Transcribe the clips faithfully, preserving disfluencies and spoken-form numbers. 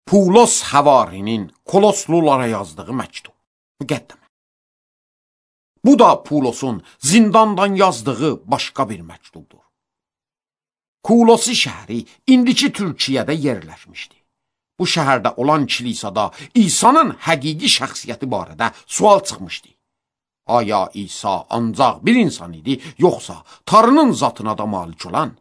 Pulos Həvarinin Koloslulara yazdığı məktub. Müqəddimə. Bu da Pulosun zindandan yazdığı başqa bir məktubdur. Kulosi şəhəri indiki Türkiyədə yerləşmişdi. Bu şəhərdə olan kilisada İsa'nın həqiqi şəxsiyyəti barədə sual çıxmışdı. Aya İsa ancaq bir insan idi, yoxsa Tanrının zatına da malik olan?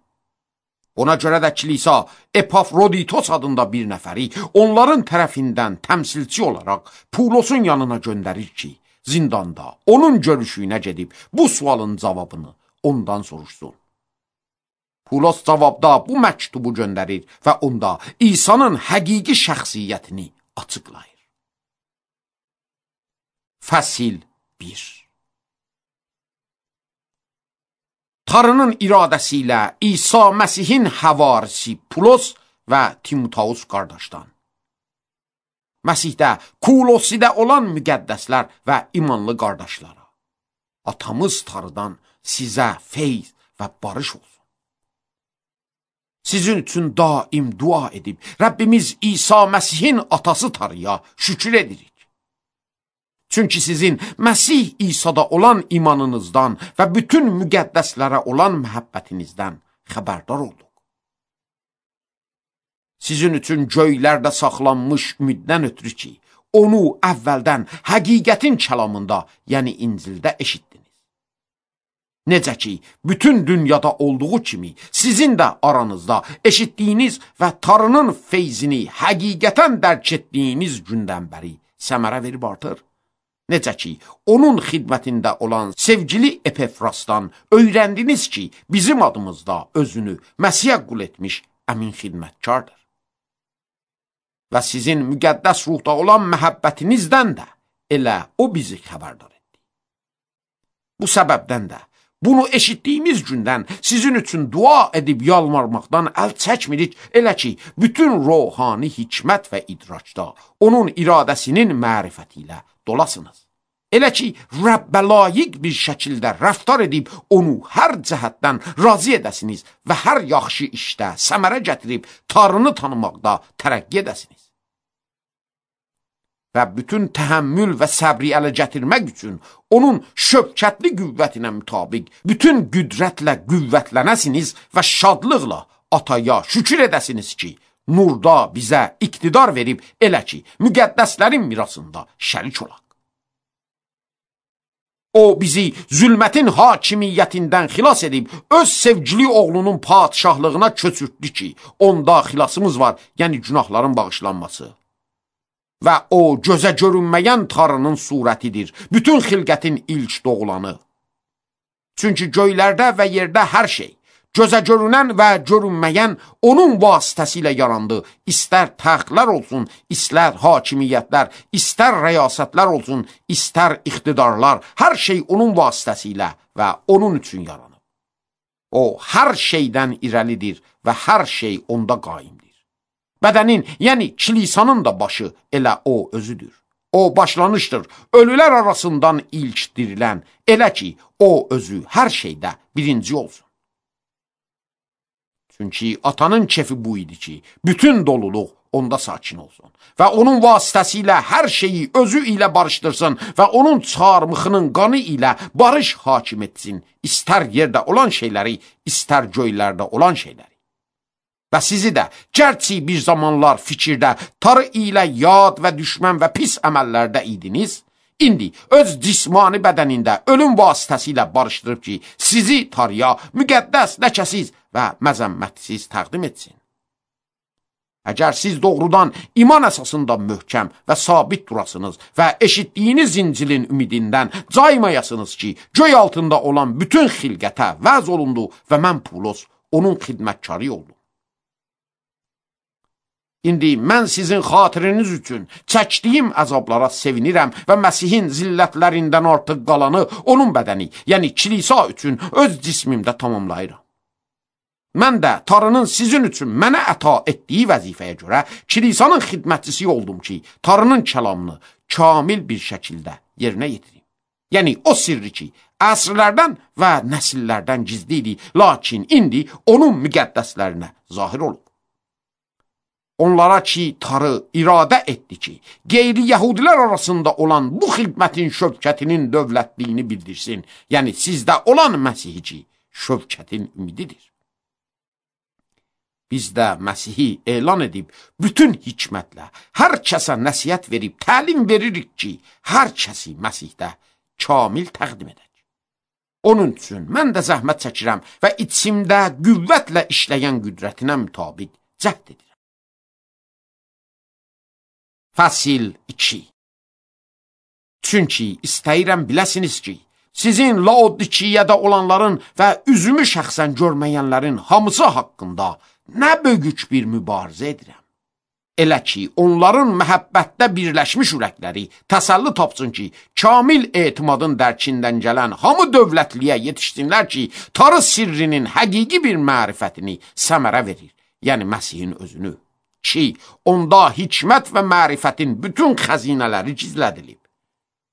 Ona görə də kilisa Epafroditos adında bir nəfəri onların tərəfindən təmsilçi olaraq Pulosun yanına göndərir ki, zindanda onun görüşüyünə gedib bu sualın cavabını ondan soruşsun. Pulos cavabda bu məktubu göndərir və onda İsa'nın həqiqi şəxsiyyətini açıqlayır. Fəsil bir. Tanrının iradəsi ilə İsa Məsihin həvarisi Pulos və Timoteus qardaşdan. Məsihdə, Kulosidə olan müqəddəslər və imanlı qardaşlara, atamız Tanrıdan sizə feyz və barış olsun. Sizin üçün daim dua edib, Rəbbimiz İsa Məsihin atası Tanrıya şükür edirik. Çünki sizin Məsih İsa'da olan imanınızdan və bütün müqəddəslərə olan məhəbbətinizdən xəbərdar olduq. Sizin üçün göylərdə saxlanmış ümiddən ötürü ki, onu əvvəldən həqiqətin kəlamında, yəni İncildə eşitdiniz. Necə ki, bütün dünyada olduğu kimi sizin də aranızda eşitdiyiniz və Tanrının feyzini həqiqətən dərk etdiyiniz gündən bəri səmərə verib artır. Necə ki, onun xidmətində olan sevgili Epafrasdan öyrəndiniz ki, bizim adımızda özünü Məsihə qul etmiş əmin xidmətkardır. Və sizin müqəddəs ruhda olan məhəbbətinizdən də elə o bizi xəbərdar etdi. Bu səbəbdən də bunu eşitdiyimiz gündən sizin üçün dua edib yalvarmaqdan əl çəkmirik, elə ki, bütün ruhani hikmət və idraçda onun iradəsinin mərifəti ilə dolasınız. Elə ki, Rəbbə layiq bir şəkildə rəftar edib onu hər cəhətdən razı edəsiniz və hər yaxşı işdə səmərə gətirib Tanrını tanımaqda tərəqqi edəsiniz. Və bütün təhəmmül və səbri ələ gətirmək üçün onun şöbkətli qüvvətinə mütabiq bütün qüdrətlə qüvvətlənəsiniz və şadlıqla ataya şükür edəsiniz ki, nurda bizə iqtidar verib elə ki, müqəddəslərin mirasında şərik olaq. O bizi zülmətin hakimiyyətindən xilas edib, öz sevgili oğlunun padişahlığına köçürtdü ki, onda xilasımız var, yəni günahların bağışlanması. Və o gözə görünməyən Tanrının surətidir, bütün xilqətin ilk doğulanı. Çünki göylərdə və yerdə hər şey, gözə görünən və görünməyən onun vasitəsilə yarandı. İstər təxtlər olsun, istər hakimiyyətlər, istər rəyasətlər olsun, istər iqtidarlar, hər şey onun vasitəsilə və onun üçün yaranıb. O, hər şeydən irəlidir və hər şey onda qaimdir. Bədənin, yəni kilisanın da başı elə o özüdür. O başlanışdır, ölülər arasından ilk dirilən, elə ki, o özü hər şeydə birinci olsun. Çünki atanın kefi bu idi ki, bütün doluluq onda sakin olsun və onun vasitəsilə hər şeyi özü ilə barışdırsın və onun çarmıxının qanı ilə barış hakim etsin, istər yerdə olan şeyləri, istər göylərdə olan şeyləri. Və sizi də, gərçi bir zamanlar fikirdə, Tanrı ilə yad və düşmən və pis əməllərdə idiniz, indi öz cismani bədənində ölüm vasitəsilə barışdırıb ki, sizi Tanrıya müqəddəs, ləkəsiz və məzəmmətsiz təqdim etsin. Əgər siz doğrudan iman əsasında möhkəm və sabit durasınız və eşitdiyiniz İncilin ümidindən caymayasınız ki, göy altında olan bütün xilqətə vəz olundu və mən Pulos onun xidmətkarı oldum. İndi mən sizin xatiriniz üçün çəkdiyim əzablara sevinirəm və Məsihin zillətlərindən artıq qalanı onun bədəni, yəni kilisa üçün öz cismimdə tamamlayıram. Mən də Tanrının sizin üçün mənə əta etdiyi vəzifəyə görə kilisanın xidmətçisi oldum ki, Tanrının kəlamını kamil bir şəkildə yerinə yetirim. Yəni o sirri ki, əsrlərdən və nəsillərdən gizli idi, lakin indi onun müqəddəslərinə zahir olub. onlara ki tarı iradə etdi ki, qeyri-yəhudilər arasında olan bu xidmətin şövkətinin dövlətliyini bildirsin. Yəni, sizdə olan Məsihi ki, şövkətin ümididir. Biz də Məsihi elan edib, bütün hikmətlə hər kəsə nəsiyyət verib, təlim veririk ki, hər kəsi Məsihdə kamil təqdim edək. Onun üçün mən də zəhmət çəkirəm və içimdə qüvvətlə işləyən qüdrətinə mütabiq cəhd edirəm. Fəsil iki. Çünki istəyirəm biləsiniz ki, sizin Laodikiyədə olanların və üzümü şəxsən görməyənlərin hamısı haqqında nə böyük bir mübarizə edirəm. Elə ki, onların məhəbbətdə birləşmiş ürəkləri təsəlli tapsın ki, kamil etimadın dərkindən gələn hamı dövlətliyə yetişsinlər ki, tarı sirrinin həqiqi bir mərifətini səmərə verir, yəni Məsihin özünü, ki, onda hikmət və mərifətin bütün xəzinələri gizlədilib.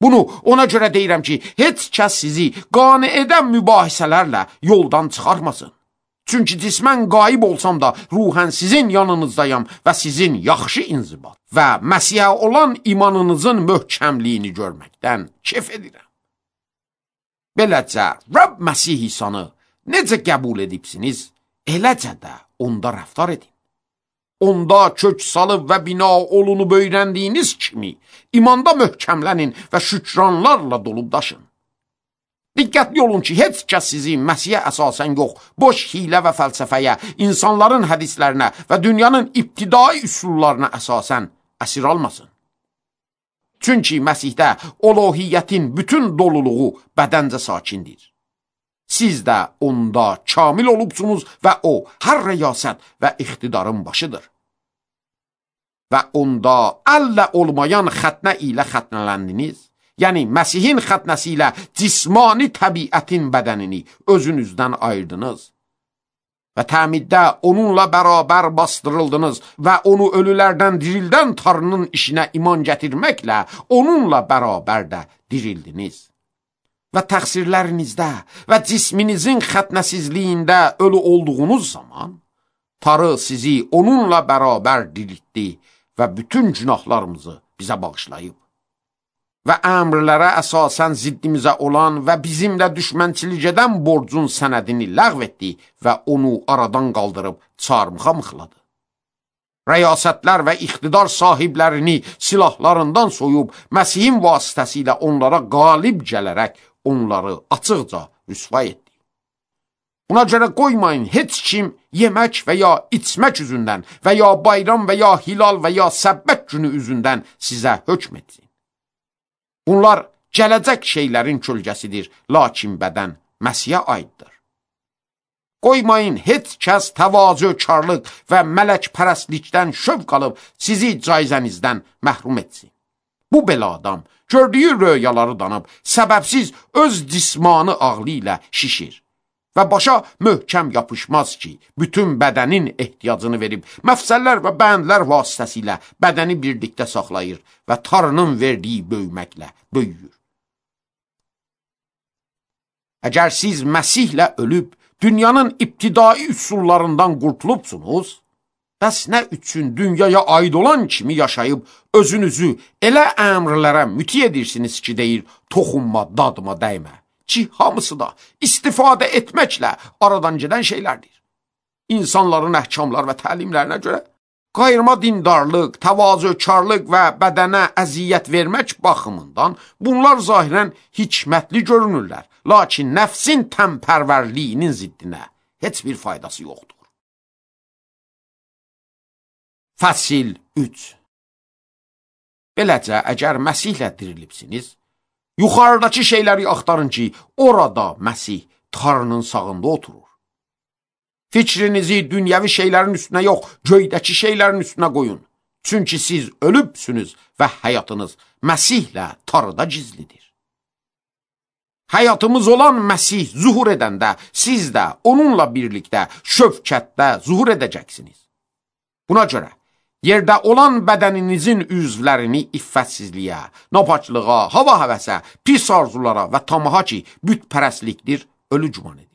Bunu ona görə deyirəm ki, heç kəs sizi qane edən mübahisələrlə yoldan çıxarmasın. Çünki cismən qayib olsam da ruhən sizin yanınızdayam və sizin yaxşı inzibat və Məsihə olan imanınızın möhkəmliyini görməkdən kef edirəm. Beləcə, Rəbb Məsih İsanı necə qəbul edibsiniz, eləcə də onda rəftar edin. Onda kök salıb və bina olunub öyrəndiyiniz kimi imanda möhkəmlənin və şükranlarla dolub daşın. Diqqətli olun ki, heç kəs sizi Məsihə əsasən yox, boş hilə və fəlsəfəyə, insanların hədislərinə və dünyanın ibtidai üsullarına əsasən əsir almasın. Çünki Məsihdə uluhiyyətin bütün doluluğu bədəncə sakindir. Siz də onda kamil olubsunuz və o hər rəyasət və iqtidarın başıdır. Və onda əllə olmayan xətnə ilə xətnələndiniz. Yəni, Məsihin xətnəsi ilə cismani təbiətin bədənini özünüzdən ayırdınız və təmiddə onunla bərabər bastırıldınız və onu ölülərdən dirildən Tanrının işinə iman gətirməklə onunla bərabər də dirildiniz. Və təqsirlərinizdə və cisminizin xətnəsizliyində ölü olduğunuz zaman Tanrı sizi onunla bərabər diriltdi və bütün günahlarımızı bizə bağışlayıb. Və əmrlərə əsasən ziddimizə olan və bizimlə düşmənçilik edən borcun sənədini ləğv etdi və onu aradan qaldırıb çarmıxa mıxladı. Rəyasətlər və iqtidar sahiblərini silahlarından soyub, Məsihin vasitəsilə onlara qalib gələrək onları açıqca rüsva etdi. Buna görə qoymayın heç kim yemək və ya içmək üzündən və ya bayram və ya hilal və ya səbbət günü üzündən sizə hökm etsin. Bunlar gələcək şeylərin kölgəsidir, lakin bədən Məsihə aiddir. Qoymayın heç kəs təvazökarlıq və mələkpərəstlikdən şövq alıb sizi caizənizdən məhrum etsin. Bu belə adam gördüyü röyaları danıb, səbəbsiz öz cismanı ağlı ilə şişir və başa möhkəm yapışmaz ki, bütün bədənin ehtiyacını verib, məfsəllər və bəndlər vasitəsilə bədəni birlikdə saxlayır və Tanrının verdiyi böyüməklə böyüyür. Əgər siz Məsihlə ölüb, dünyanın ibtidai üsullarından qurtulubsunuz, bəs nə üçün dünyaya aid olan kimi yaşayıb, özünüzü elə əmrlərə müti edirsiniz ki, deyir, toxunma, dadıma dəymə. Ki, hamısı da istifadə etməklə aradan gedən şeylərdir. İnsanların əhkamlar və təlimlərinə görə qayırma dindarlıq, təvazökarlıq və bədənə əziyyət vermək baxımından bunlar zahirən hikmətli görünürlər, lakin nəfsin təmpərvərliyinin ziddinə heç bir faydası yoxdur. Fəsil üç. Beləcə, əgər Məsihlə dirilibsiniz, yuxarıdakı şeyləri axtarın ki, orada Məsih Tanrının sağında oturur. Fikrinizi dünyəvi şeylərin üstünə yox, göydəki şeylərin üstünə qoyun. Çünki siz ölübsünüz və həyatınız Məsihlə Tanrıda gizlidir. Həyatımız olan Məsih zuhur edəndə siz də onunla birlikdə şövkətdə zuhur edəcəksiniz. Buna görə yerdə olan bədəninizin üzvlərini iffətsizliyə, napaçlığa, hava həvəsə, pis arzulara və tamaha ki, bütpərəstlikdir, ölü güman edin.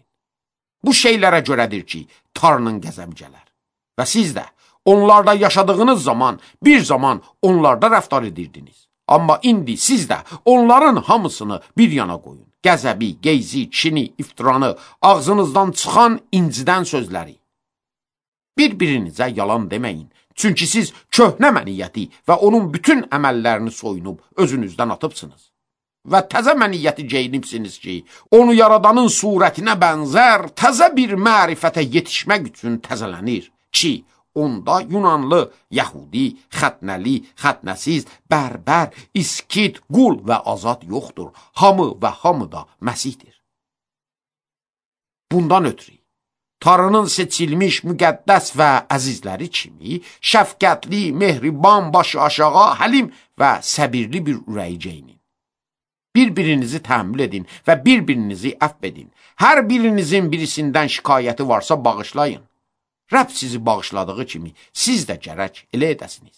Bu şeylərə görədir ki, Tanrının qəzəbi gələr. Və siz də Onlarda yaşadığınız zaman bir zaman onlarda rəftar edirdiniz. Amma indi siz də onların hamısını bir yana qoyun. Qəzəbi, geyzi, çini, iftiranı, ağzınızdan çıxan incidən sözləri. Bir-birinizə yalan deməyin. Çünki siz köhnə məniyyəti və onun bütün əməllərini soyunub özünüzdən atıbsınız. Və təzə məniyyəti geyinibsiniz ki, onu yaradanın surətinə bənzər təzə bir mərifətə yetişmək üçün təzələnir ki, onda Yunanlı, Yəhudi, xətnəli, xətnəsiz, bərbər, iskit, qul və azad yoxdur. Hamı və hamı da Məsihdir. Bundan ötürü, Tanrının seçilmiş, müqəddəs və əzizləri kimi, şəfqətli, mehriban, başı aşağı, həlim və səbirli bir ürəyi geyinin. Bir-birinizi təhəmmül edin və bir-birinizi əfv edin. Hər birinizin birisindən şikayəti varsa bağışlayın. Rəbb sizi bağışladığı kimi siz də gərək elə edəsiniz.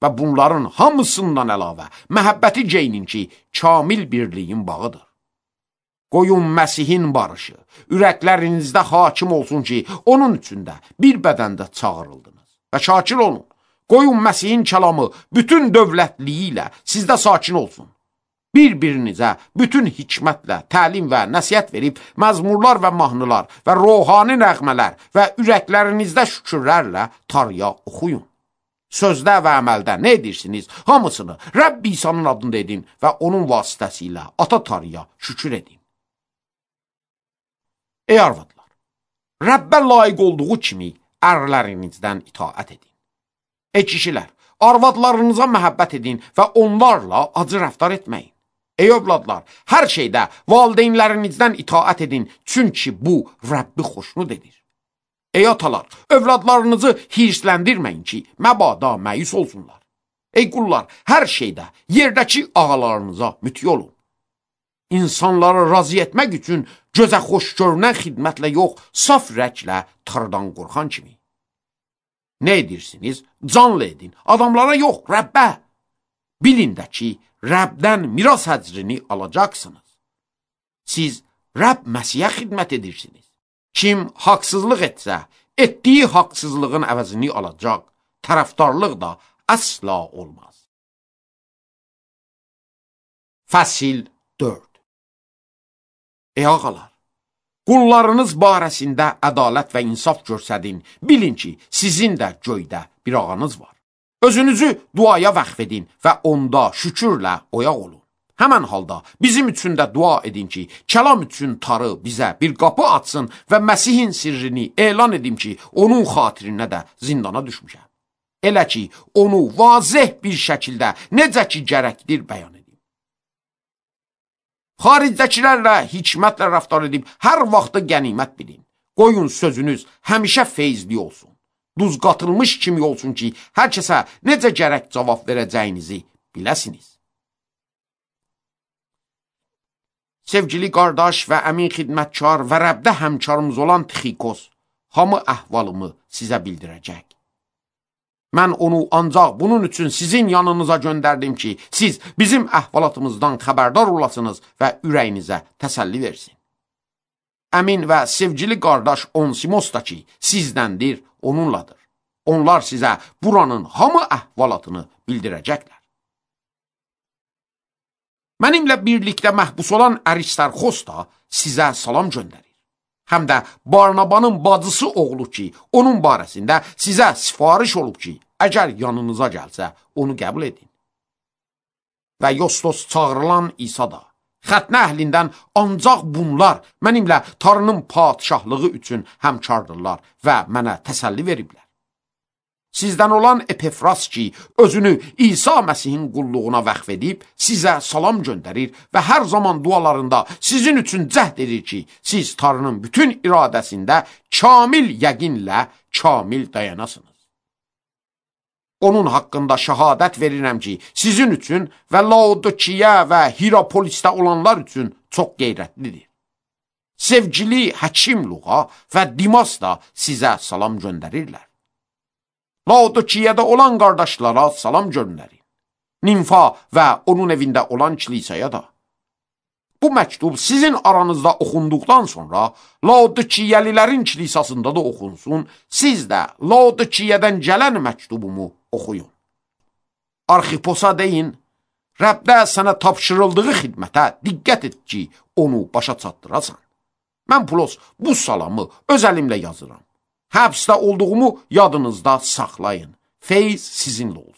Və bunların hamısından əlavə məhəbbəti geyinin ki, kamil birliyin bağıdır. Qoyun Məsihin barışı, ürəklərinizdə hakim olsun ki, onun üçün də bir bədəndə çağırıldınız. Və şakir olun, qoyun Məsihin kəlamı bütün dövlətliyi ilə sizdə sakin olsun. Bir-birinizə bütün hikmətlə təlim və nəsiyyət verib, məzmurlar və mahnılar və ruhani nəğmələr və ürəklərinizdə şükürlərlə Tanrıya oxuyun. Sözdə və əməldə nə edirsiniz, hamısını Rəbb İsa'nın adında edin və onun vasitəsilə Ata Tanrıya şükür edin. Ey arvadlar, Rəbbə layiq olduğu kimi ərlərinizdən itaət edin. Ey kişilər, arvadlarınıza məhəbbət edin və onlarla acı rəftar etməyin. Ey övladlar, hər şeydə valideynlərinizdən itaət edin, çünki bu Rəbbi xoşnud edir. Ey atalar, övladlarınızı hirsləndirməyin ki, məbada məyus olsunlar. Ey qullar, hər şeydə yerdəki ağalarınıza müti olun. İnsanları razı etmək üçün gözə xoş görünən xidmətlə yox, saf ürəklə Tanrıdan qorxan kimi. Nə edirsiniz? Canlı edin. Adamlara yox, Rəbbə. Bilin də ki, Rəbdən miras həcrini alacaqsınız. Siz Rəbb Məsihə xidmət edirsiniz. Kim haqsızlıq etsə, etdiyi haqsızlığın əvəzini alacaq. Tərəfdarlıq da əsla olmaz. Fəsil dörd. Ey ağalar, qullarınız barəsində ədalət və insaf görsədin, bilin ki, sizin də göydə bir ağanız var. Özünüzü duaya vəqf edin və onda şükürlə oyaq olun. Həmən halda bizim üçün də dua edin ki, kəlam üçün Tanrı bizə bir qapı açsın və Məsihin sirrini elan edim ki, onun xatirinə də zindana düşmüşəm. Elə ki, onu vazih bir şəkildə necə ki gərəkdir bəyan edin. Xaricdəkilərlə hikmətlə rəftar edib, hər vaxtı qənimət bilin. Qoyun sözünüz həmişə feyzli olsun. Duz qatılmış kimi olsun ki, hər kəsə necə gərək cavab verəcəyinizi biləsiniz. Sevgili qardaş və əmin xidmətkar və Rəbdə həmkarımız olan Tixikos, hamı əhvalımı sizə bildirəcək. Mən onu ancaq bunun üçün sizin yanınıza göndərdim ki, siz bizim əhvalatımızdan xəbərdar olasınız və ürəyinizə təsəlli versin. Əmin və sevgili qardaş Onsimos da ki, sizdəndir, onunladır. Onlar sizə buranın hamı əhvalatını bildirəcəklər. Mənimlə birlikdə məhbus olan Əristarxos da sizə salam göndərir. Həm də Barnabanın bacısı oğlu ki, onun barəsində sizə sifariş olub ki, əgər yanınıza gəlsə, onu qəbul edin. Və Yostos çağırılan İsa da, xətnə əhlindən ancaq bunlar mənimlə Tanrının padişahlığı üçün həmkardırlar və mənə təsəlli veriblər. Sizdən olan Epefras ki, özünü İsa Məsihin qulluğuna vəqf edib, sizə salam göndərir və hər zaman dualarında sizin üçün cəhd edir ki, siz Tanrının bütün iradəsində kamil yəqinlə kamil dayanasınız. Onun haqqında şəhadət verirəm ki, sizin üçün və Laodikiya və Hirapolisdə olanlar üçün çox qeyrətlidir. Sevgili Həkim Luqa və Dimas da sizə salam göndərirlər. Laodikiyada olan qardaşlara salam göndərin. Nimfa və onun evində olan kilisaya da. Bu məktub sizin aranızda oxunduqdan sonra Laodikiyəlilərin kilisasında da oxunsun, siz də Laodikiyədən gələn məktubumu oxuyun. Arxiposa deyin, Rəbdə sənə tapşırıldığı xidmətə diqqət et ki, onu başa çatdırasan. Mən Pulos bu salamı öz əlimlə yazıram. Həbsdə olduğumu yadınızda saxlayın. Feyz sizinlə olsun.